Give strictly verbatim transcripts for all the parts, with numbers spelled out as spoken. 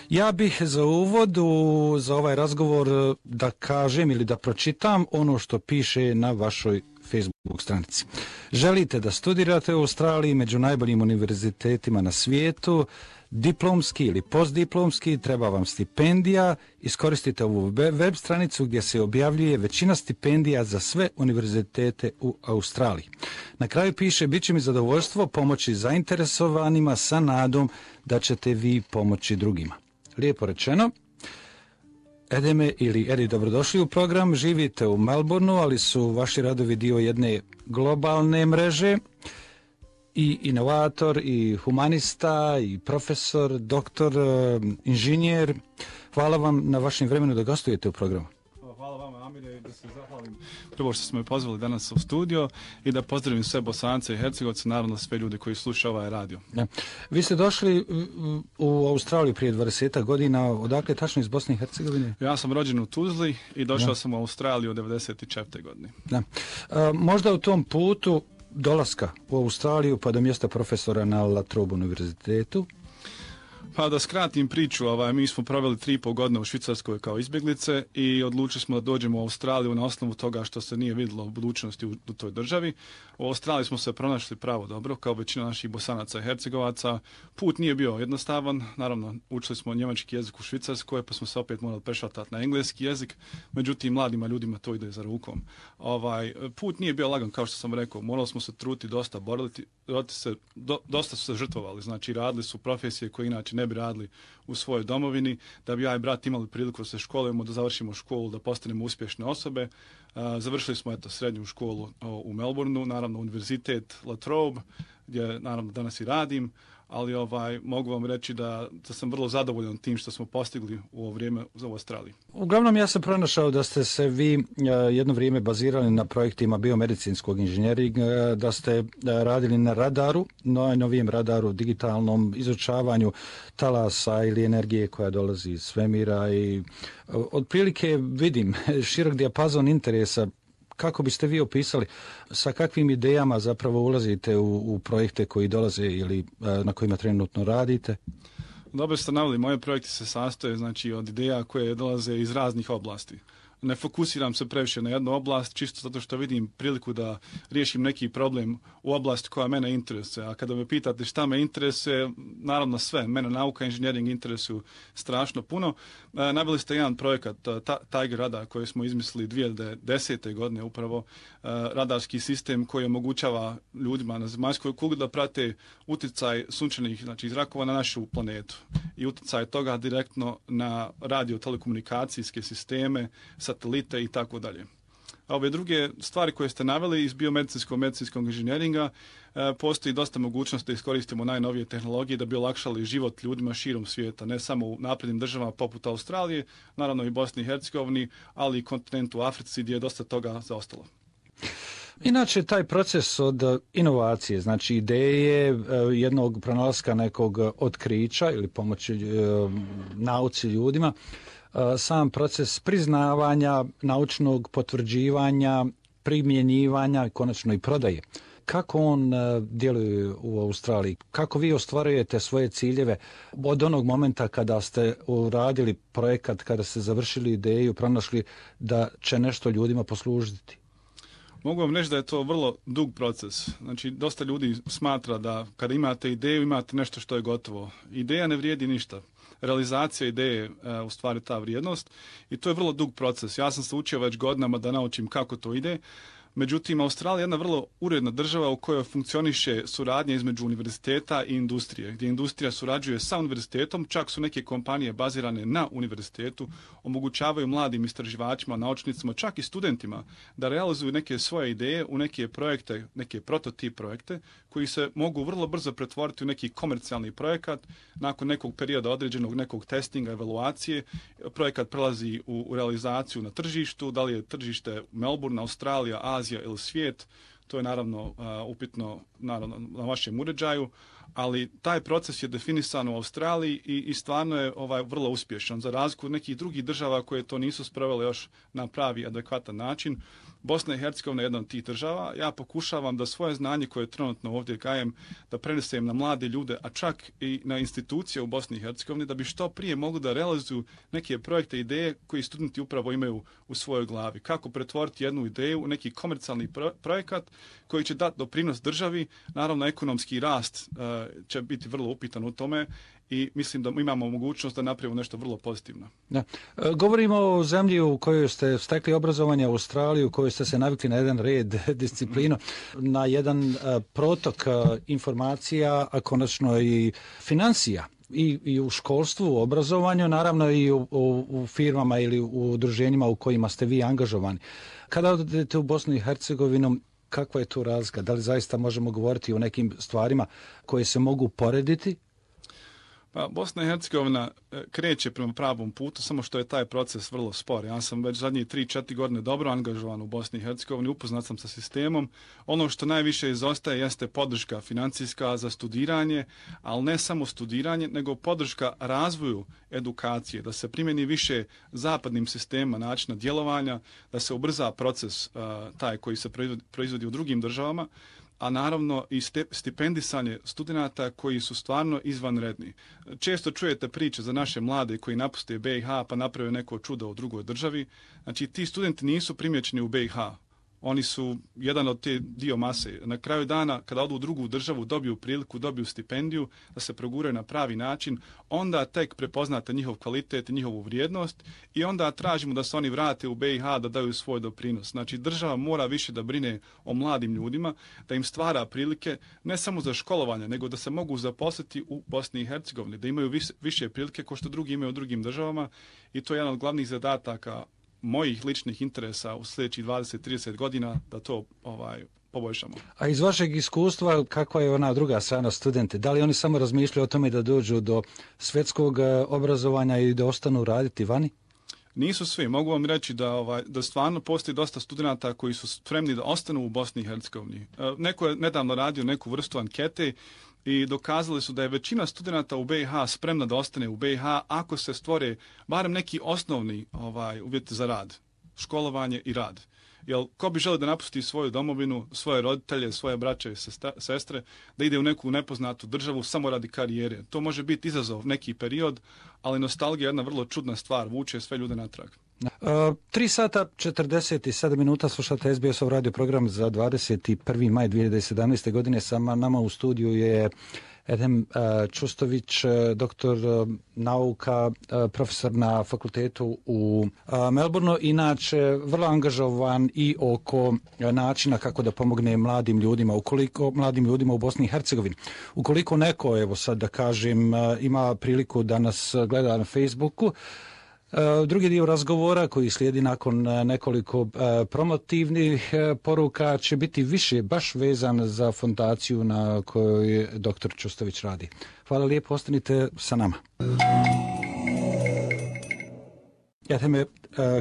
Ja bih za uvod u, za ovaj razgovor da kažem ili da pročitam ono što piše na vašoj Facebook stranici. Želite da studirate u Australiji među najboljim univerzitetima na svijetu, diplomski ili postdiplomski, treba vam stipendija, iskoristite ovu web stranicu gdje se objavljuje većina stipendija za sve univerzitete u Australiji. Na kraju piše, bit će mi zadovoljstvo pomoći zainteresovanima sa nadom da ćete vi pomoći drugima. Lijepo rečeno. Edeme ili Edi, dobrodošli u program. Živite u Melbourneu, ali su vaši radovi dio jedne globalne mreže. I inovator, i humanista, i profesor, doktor, inženjer. Hvala vam na vašem vremenu da gostujete u programu. Hvala vama, Amire, da se zahvalim prvo što smo me pozvali danas u studio i da pozdravim sve Bosance i Hercegovce, naravno sve ljude koji slušaju ovaj radio. Ja. Vi ste došli u Australiju prije dvadeset godina, odakle tačno iz Bosne i Hercegovine? Ja sam rođen u Tuzli i došao ja. sam u Australiju u devedeset četvrtoj godine. Ja. A, možda u tom putu dolaska u Australiju pa do mjesta profesora na La Trobe univerzitetu? Pa da skratim priču, ovaj, mi smo proveli tri i pol godine u Švicarskoj kao izbjeglice i odlučili smo da dođemo u Australiju na osnovu toga što se nije vidjelo u budućnosti u, u toj državi. U Australiji smo se pronašli pravo dobro, kao većina naših Bosanaca i Hercegovaca. Put nije bio jednostavan, naravno učili smo njemački jezik u Švicarskoj, pa smo se opet morali prešatati na engleski jezik, međutim mladima ljudima to ide za rukom. Ovaj, put nije bio lagan, kao što sam rekao, morali smo se truti dosta, boriti, se, do, dosta su se žrtvovali, znači radili su profesije koje inače ne bi radili u svojoj domovini, da bi ja i brat imali priliku da se školujemo, da završimo školu, da postanemo uspješne osobe. Uh, završili smo eto srednju školu o, u Melbourneu, naravno univerzitet La Trobe, gdje naravno danas i radim, ali ovaj, mogu vam reći da, da sam vrlo zadovoljan tim što smo postigli u ovo vrijeme za Australiji. Uglavnom ja sam pronašao da ste se vi uh, jedno vrijeme bazirali na projektima biomedicinskog inženjeringa, uh, da ste uh, radili na radaru, najnovijem radaru, digitalnom izučavanju talasa ili energije koja dolazi iz svemira i uh, otprilike vidim širok dijapazon interesa. Kako biste vi opisali, sa kakvim idejama zapravo ulazite u, u projekte koji dolaze ili na kojima trenutno radite? Dobro ste naveli, moje projekte se sastoje znači, od ideja koje dolaze iz raznih oblasti. Ne fokusiram se previše na jednu oblast, čisto zato što vidim priliku da riješim neki problem u oblasti koja mene interesuje. A kada me pitate šta me interesuje, naravno sve. Mene nauka i inženjering interesuju strašno puno. E, naveli ste jedan projekat, ta, Tiger Radar, koji smo izmislili dvije tisuće desete. godine upravo. E, radarski sistem koji omogućava ljudima na zemaljskoj kugli da prate utjecaj sunčanih znači, zrakova na našu planetu. I utjecaj toga direktno na radio-telekomunikacijske sisteme, satelite i tako dalje. A ove druge stvari koje ste naveli iz biomedicinskog medicinskog inženjeringa e, postoji dosta mogućnosti da iskoristimo najnovije tehnologije da bi olakšali život ljudima širom svijeta, ne samo u naprednim državama poput Australije, naravno i Bosni i Hercegovini, ali i kontinentu Africi gdje je dosta toga zaostalo. Inače, taj proces od inovacije, znači ideje jednog pronalaska nekog otkrića ili pomoći e, nauci ljudima, sam proces priznavanja, naučnog potvrđivanja, primjenjivanja i konačno i prodaje. Kako on djeluje u Australiji? Kako vi ostvarujete svoje ciljeve od onog momenta kada ste uradili projekat, kada ste završili ideju, pronašli da će nešto ljudima poslužiti? Mogu vam reći da je to vrlo dug proces. Znači, dosta ljudi smatra da kada imate ideju, imate nešto što je gotovo. Ideja ne vrijedi ništa. Realizacija ideje je u stvari ta vrijednost i to je vrlo dug proces. Ja sam se učio već godinama da naučim kako to ide. Međutim, Australija je jedna vrlo uredna država u kojoj funkcioniše suradnja između univerziteta i industrije, gdje industrija surađuje sa univerzitetom, čak su neke kompanije bazirane na univerzitetu, omogućavaju mladim istraživačima, naučnicima, čak i studentima da realizuju neke svoje ideje u neke projekte, neke prototip projekte, koji se mogu vrlo brzo pretvoriti u neki komercijalni projekat. Nakon nekog perioda određenog nekog testinga, evaluacije, projekat prelazi u, u realizaciju na tržištu, da li je tržište Melbourne, Australija, Azija ili svijet, to je naravno uh, upitno naravno, na vašem uređaju, ali taj proces je definisan u Australiji i, i stvarno je ovaj, vrlo uspješan. Za razliku od nekih drugih država koje to nisu sprovele još na pravi adekvatan način, Bosna i Hercegovina je jedna od tih država. Ja pokušavam da svoje znanje koje trenutno ovdje gajem, da prenesem na mlade ljude, a čak i na institucije u Bosni i Hercegovini, da bi što prije mogli da realizuju neke projekte, ideje koji studenti upravo imaju u svojoj glavi. Kako pretvoriti jednu ideju u neki komercijalni pro- projekat koji će dati doprinos državi. Naravno, ekonomski rast uh, će biti vrlo upitan u tome i mislim da imamo mogućnost da napravimo nešto vrlo pozitivno. Da. E, govorimo o zemlji u kojoj ste stekli obrazovanje, u Australiji, u kojoj ste se navikli na jedan red, disciplinu, mm. na jedan uh, protok uh, informacija, a konačno i financija. I, i u školstvu, u obrazovanju, naravno i u, u, u firmama ili u udruženjima u kojima ste vi angažovani. Kada odete u Bosnu i Hercegovinu, kakva je tu razlika? Da li zaista možemo govoriti o nekim stvarima koje se mogu porediti? Pa Bosna i Hercegovina kreće prema pravom putu, samo što je taj proces vrlo spor. Ja sam već zadnjih tri četiri godine dobro angažovan u Bosni i Hercegovini, upoznat sam sa sistemom. Ono što najviše izostaje jeste podrška financijska za studiranje, ali ne samo studiranje, nego podrška razvoju edukacije, da se primjeni više zapadnim sistema načina djelovanja, da se ubrza proces uh, taj koji se proizvodi u drugim državama, a naravno i stipendisanje studenata koji su stvarno izvanredni. Često čujete priče za naše mlade koji napuste B i H pa naprave neko čudo u drugoj državi. Znači, ti studenti nisu primjećeni u B i H. Oni su jedan od te dio mase. Na kraju dana, kada odu u drugu državu, dobiju priliku, dobiju stipendiju, da se proguraju na pravi način, onda tek prepoznate njihov kvalitet i njihovu vrijednost i onda tražimo da se oni vrate u B i H da daju svoj doprinos. Znači, država mora više da brine o mladim ljudima, da im stvara prilike ne samo za školovanje, nego da se mogu zaposliti u Bosni i Hercegovini, da imaju više, više prilike kao što drugi imaju u drugim državama i to je jedan od glavnih zadataka mojih ličnih interesa u sljedećih dvadeset do trideset godina da to ovaj poboljšamo. A iz vašeg iskustva, kakva je ona druga strana studente? Da li oni samo razmišljaju o tome da dođu do svjetskog obrazovanja i da ostanu raditi vani? Nisu svi. Mogu vam reći da, ovaj, da stvarno postoji dosta studenata koji su spremni da ostanu u Bosni i Hercegovini. Neko je nedavno radio neku vrstu ankete i dokazali su da je većina studenata u B i H spremna da ostane u B i H ako se stvore barem neki osnovni ovaj, uvjeti za rad, školovanje i rad. Jer ko bi želio da napusti svoju domovinu, svoje roditelje, svoje braće i sestre, da ide u neku nepoznatu državu samo radi karijere. To može biti izazov neki period, ali nostalgija je jedna vrlo čudna stvar, vuče sve ljude natrag. Uh, tri sata četrdeset sedam minuta slušate S B S-ov radio program za dvadeset prvi maj dvije hiljade sedamnaeste. godine. Sa nama u studiju je Edhem uh, Čustović, doktor uh, nauka, uh, profesor na fakultetu u uh, Melbourneu, inače vrlo angažovan i oko uh, načina kako da pomogne mladim ljudima, ukoliko mladim ljudima u Bosni i Hercegovini. Ukoliko neko, evo sad da kažem, uh, ima priliku da nas gleda na Facebooku, drugi dio razgovora koji slijedi nakon nekoliko promotivnih poruka će biti više baš vezan za fondaciju na kojoj doktor Čustović radi. Hvala lijepo, ostanite sa nama. Edheme,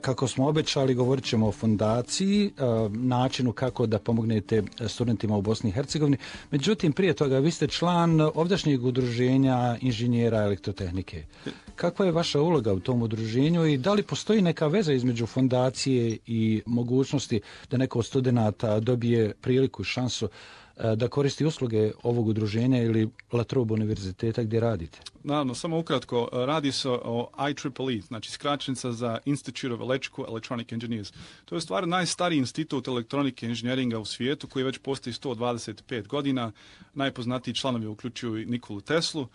kako smo obećali, govorit ćemo o fondaciji, načinu kako da pomognete studentima u Bosni i Hercegovini. Međutim, prije toga, vi ste član ovdašnjeg udruženja inženjera elektrotehnike. Kakva je vaša uloga u tom udruženju i da li postoji neka veza između fondacije i mogućnosti da neko od studenata dobije priliku i šansu da koristi usluge ovog udruženja ili La Trobe univerziteta gdje radite? Naravno, samo ukratko, radi se o I triple E, znači skraćenica za Institute of Electrical Electronic Engineers. To je u stvari najstariji institut elektronike inženjeringa u svijetu koji već postoji sto dvadeset pet godina. Najpoznatiji članovi uključuju Nikolu Teslu.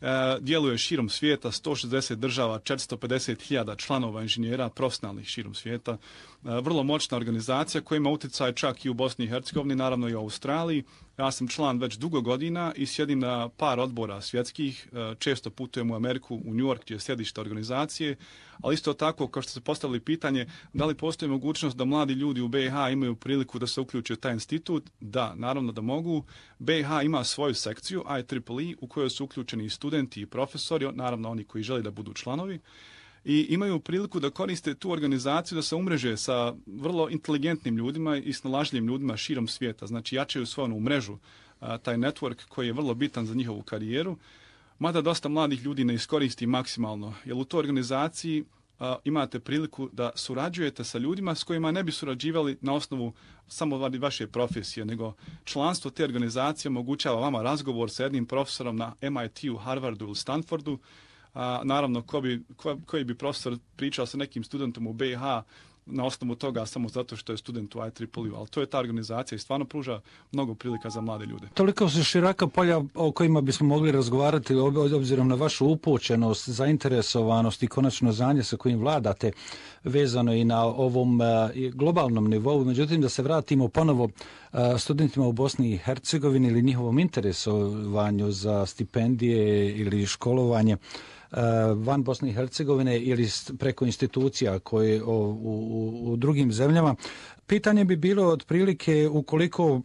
E, djeluje širom svijeta, sto šezdeset država, četiristo pedeset hiljada članova inženjera profesionalnih širom svijeta. E, vrlo moćna organizacija koja ima utjecaj čak i u Bosni i Hercegovini, naravno i u Australiji. Ja sam član već dugo godina i sjedim na par odbora svjetskih. E, često putujem u Ameriku, u New York, gdje je sjedište organizacije, ali isto tako, kao što ste postavili pitanje, da li postoji mogućnost da mladi ljudi u B i H imaju priliku da se uključe u taj institut? Da, naravno da mogu. B i H ima svoju sekciju I triple E u kojoj su uključeni i studenti i profesori, naravno oni koji žele da budu članovi, i imaju priliku da koriste tu organizaciju da se umreže sa vrlo inteligentnim ljudima i snalažljivim ljudima širom svijeta. Znači, jačaju svoju onu mrežu, taj network koji je vrlo bitan za njihovu karijeru, mada dosta mladih ljudi ne iskoristi maksimalno, jer u toj organizaciji a, imate priliku da surađujete sa ljudima s kojima ne bi surađivali na osnovu samo vaše profesije, nego članstvo te organizacije omogućava vama razgovor sa jednim profesorom na M I T-u, Harvardu ili Stanfordu. A, naravno, ko bi, ko, koji bi profesor pričao sa nekim studentom u B i H na osnovu toga samo zato što je student u I triple E, ali to je ta organizacija i stvarno pruža mnogo prilika za mlade ljude. Toliko su široka polja o kojima bismo mogli razgovarati obzirom na vašu upućenost, zainteresovanost i konačno znanje sa kojim vladate vezano i na ovom globalnom nivou. Međutim, da se vratimo ponovo studentima u Bosni i Hercegovini ili njihovom interesovanju za stipendije ili školovanje van Bosne i Hercegovine ili preko institucija koje u, u, u drugim zemljama. Pitanje bi bilo otprilike ukoliko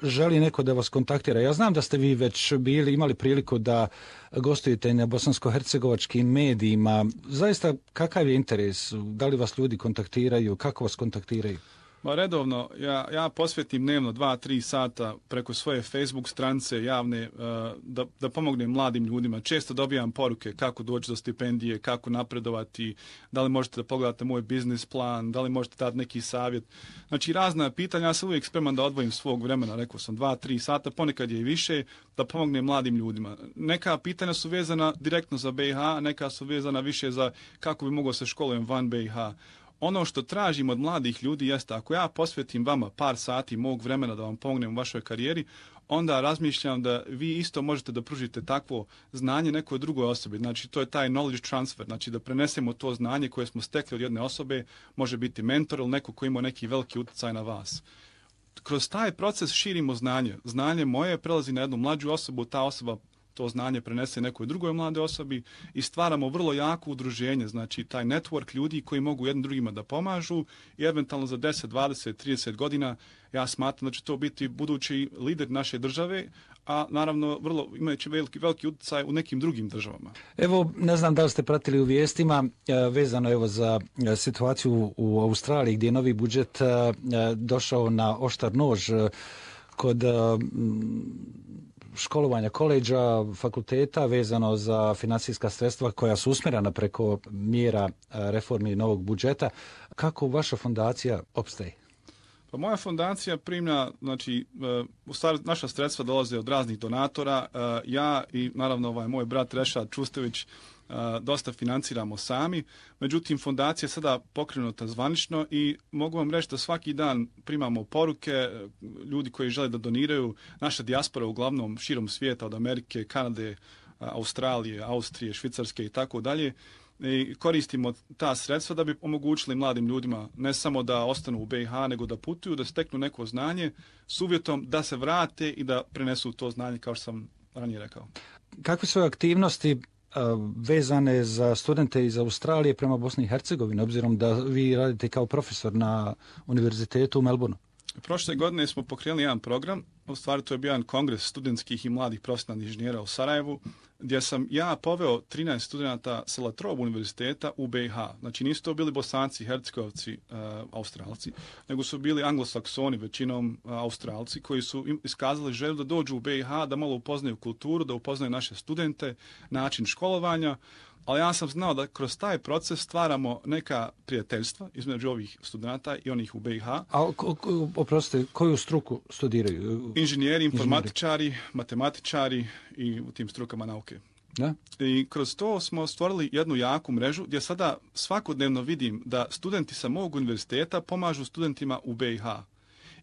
želi neko da vas kontaktira. Ja znam da ste vi već bili, imali priliku da gostujete na bosansko-hercegovačkim medijima. Zaista, kakav je interes? Da li vas ljudi kontaktiraju? Kako vas kontaktiraju? Ma redovno, ja, ja posvetim dnevno dva, tri sata preko svoje Facebook stranice javne uh, da, da pomognem mladim ljudima. Često dobijam poruke kako doći do stipendije, kako napredovati, da li možete da pogledate moj biznis plan, da li možete dati neki savjet. Znači razna pitanja, ja sam uvijek spreman da odvojim svog vremena, rekao sam dva, tri sata, ponekad je i više, da pomognem mladim ljudima. Neka pitanja su vezana direktno za B i H, neka su vezana više za kako bi mogao se školujem van B i H. Ono što tražim od mladih ljudi jeste, ako ja posvetim vama par sati mog vremena da vam pomognem u vašoj karijeri, onda razmišljam da vi isto možete da pružite takvo znanje nekoj drugoj osobi. Znači, to je taj knowledge transfer, znači da prenesemo to znanje koje smo stekli od jedne osobe, može biti mentor ili neko ko ima neki veliki utjecaj na vas. Kroz taj proces širimo znanje. Znanje moje prelazi na jednu mlađu osobu, ta osoba to znanje prenese nekoj drugoj mlade osobi i stvaramo vrlo jako udruženje, znači taj network ljudi koji mogu jednim drugima da pomažu i eventualno za deset, dvadeset, trideset godina ja smatram da će to biti budući lider naše države, a naravno vrlo imajući veliki, veliki utjecaj u nekim drugim državama. Evo, ne znam da li ste pratili u vijestima vezano evo za situaciju u Australiji gdje je novi budžet došao na oštar nož kod školovanja koleđa, fakulteta vezano za financijska sredstva koja su usmjerena preko mjera reformi novog budžeta. Kako vaša fondacija opstaje? Pa moja fondacija prima, znači, u stvari naša sredstva dolaze od raznih donatora. Ja i naravno ovaj moj brat Rešad Čustević dosta financiramo sami, međutim fondacija je sada pokrenuta zvanično i mogu vam reći da svaki dan primamo poruke ljudi koji žele da doniraju. Naša dijaspora uglavnom širom svijeta od Amerike, Kanade, Australije, Austrije, Švicarske i tako dalje. I koristimo ta sredstva da bi omogućili mladim ljudima ne samo da ostanu u B i H, nego da putuju, da steknu neko znanje s uvjetom da se vrate i da prenesu to znanje, kao što sam ranije rekao. Kakve su aktivnosti vezane za studente iz Australije prema Bosni i Hercegovini, obzirom da vi radite kao profesor na univerzitetu u Melbourneu? Prošle godine smo pokrenuli jedan program, u stvari to je bio jedan kongres studentskih i mladih profesionalnih inženjera u Sarajevu, gdje sam ja poveo trinaest studenta sa Latrobe univerziteta u B i H. Znači nisu to bili Bosanci, Hercegovci, uh, Australci, nego su bili anglosaksoni, većinom uh, Australci, koji su iskazali želju da dođu u B i H, da malo upoznaju kulturu, da upoznaju naše studente, način školovanja, ali ja sam znao da kroz taj proces stvaramo neka prijateljstva između ovih studenta i onih u B i H. A oprostite, koju struku studiraju? Inženjeri, informatičari, Inženjeri. matematičari i u tim strukama nauke. Da? I kroz to smo stvorili jednu jaku mrežu gdje sada svakodnevno vidim da studenti sa mog univerziteta pomažu studentima u B i H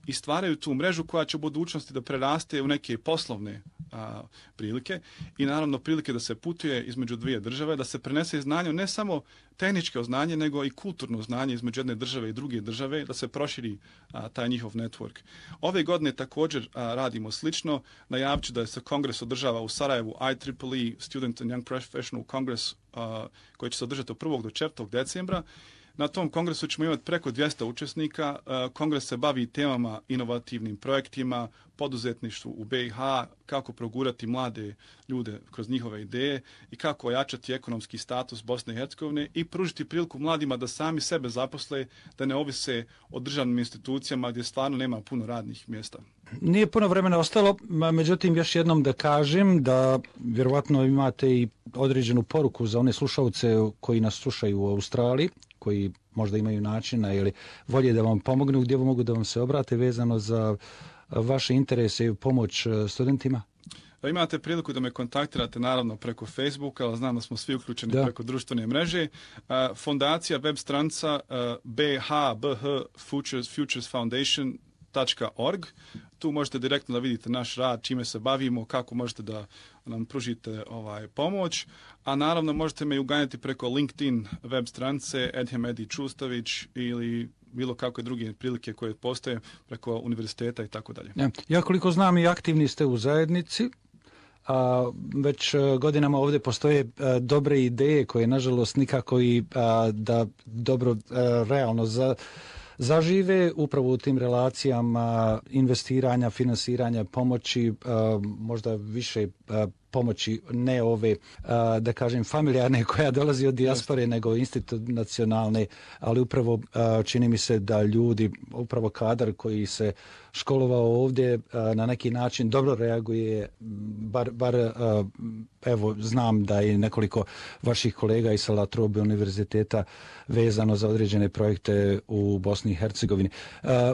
i stvaraju tu mrežu koja će u budućnosti da preraste u neke poslovne a, prilike i naravno prilike da se putuje između dvije države, da se prenese znanje, ne samo tehničko znanje, nego i kulturno znanje između jedne države i druge države, da se proširi a, taj njihov network. Ove godine također a, radimo slično, najavit ću da se kongres održava u Sarajevu, I triple E, Student and Young Professional Congress, a, koji će se održati od prvog do četvrtog decembra, Na tom kongresu ćemo imati preko dvjesto učesnika. Kongres se bavi temama, inovativnim projektima, poduzetništvu u B i H, kako progurati mlade ljude kroz njihove ideje i kako ojačati ekonomski status Bosne i Hercegovine i pružiti priliku mladima da sami sebe zaposle, da ne ovise o državnim institucijama gdje stvarno nema puno radnih mjesta. Nije puno vremena ostalo, međutim još jednom da kažem da vjerovatno imate i određenu poruku za one slušalce koji nas slušaju u Australiji, koji možda imaju načina ili volje da vam pomognu, gdje mogu da vam se obrate vezano za vaše interese i pomoć studentima? Imate priliku da me kontaktirate naravno preko Facebooka, ali znam da smo svi uključeni da. preko društvene mreže. Fondacija, web stranca b h b h futures, futures foundation dot org. Tu možete direktno da vidite naš rad, čime se bavimo, kako možete da nam pružite ovaj pomoć. A naravno možete me uganjati preko LinkedIn web stranice Edhem Edi Čustavić ili bilo kakve druge prilike koje postoje preko univerziteta i tako dalje. Ja koliko znam i aktivni ste u zajednici, a već godinama ovdje postoje a, dobre ideje koje nažalost nikako i a, da dobro a, realno za zažive upravo u tim relacijama investiranja, finansiranja, pomoći, možda više pomoći ne ove, da kažem, familijarne koja dolazi od dijaspore, nego institucionalne, ali upravo čini mi se da ljudi, upravo kadar koji se školovao ovdje na neki način dobro reaguje, bar, bar evo, znam da je nekoliko vaših kolega iz La Trobe univerziteta vezano za određene projekte u Bosni i Hercegovini.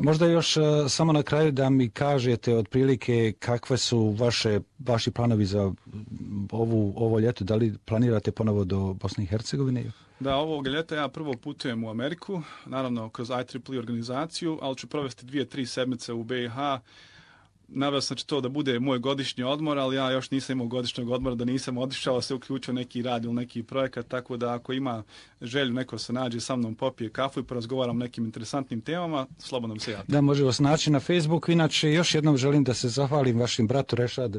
Možda još samo na kraju da mi kažete otprilike kakve su vaše, vaši planovi za ovu, ovo ljeto, da li planirate ponovo do Bosne i Hercegovine? Da, ovog ljeta ja prvo putujem u Ameriku, naravno kroz I triple E organizaciju, ali ću provesti dvije, tri sedmice u B i H. Naveo sam će to da bude moj godišnji odmor, ali ja još nisam imao godišnjeg odmora, da nisam otišao, se uključio neki rad ili neki projekat, tako da ako ima želju neko se nađe sa mnom, popije kafu i porazgovaram o nekim interesantnim temama, slobodno mi se javi. Da, može vas naći na Facebooku. Inače, još jednom želim da se zahvalim vašim bratu Rešad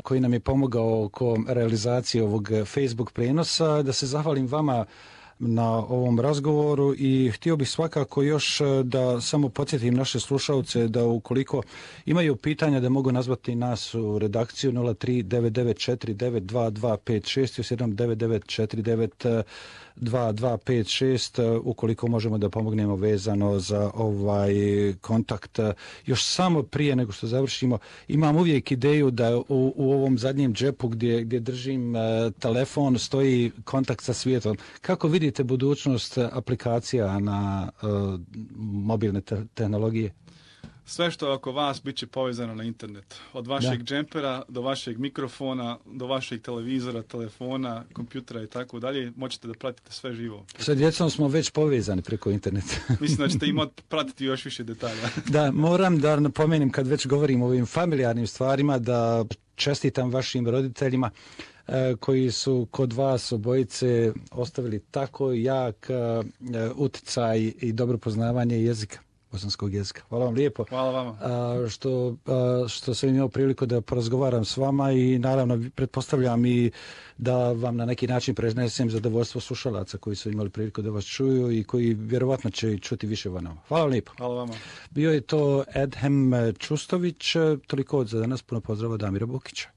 koji nam je pomogao oko realizacije ovog Facebook prenosa, da se zahvalim vama na ovom razgovoru i htio bih svakako još da samo podsjetim naše slušalce da ukoliko imaju pitanja da mogu nazvati nas u redakciju nula tri devet devet četiri devet dva dva pet šest, još jednom devet devet četiri devet dva dva pet šest ukoliko možemo da pomognemo vezano za ovaj kontakt. Još samo prije nego što završimo, imam uvijek ideju da u, u ovom zadnjem džepu gdje, gdje držim uh, telefon stoji kontakt sa svijetom. Kako vidite budućnost aplikacija na uh, mobilne te- tehnologije? Sve što je oko vas bit će povezano na internet. Od vašeg da. džempera do vašeg mikrofona, do vašeg televizora, telefona, kompjutera i tako dalje. Moćete da pratite sve živo. Sa djecom smo već povezani preko interneta. Mislim da ćete im pratiti još više detalja. Da, moram da napomenem kad već govorim o ovim familijarnim stvarima da čestitam vašim roditeljima koji su kod vas obojice ostavili tako jak utjecaj i dobro poznavanje jezika. Bosanskog jezika. Hvala vam lijepo. Hvala vama. A, što, a, što sam imao priliku da porazgovaram s vama i naravno pretpostavljam i da vam na neki način prenesem zadovoljstvo slušalaca koji su imali priliku da vas čuju i koji vjerovatno će čuti više vanova. Hvala vam lijepo. Hvala vama. Bio je to Edhem Čustović, toliko za danas, puno pozdrava Damira Bukića.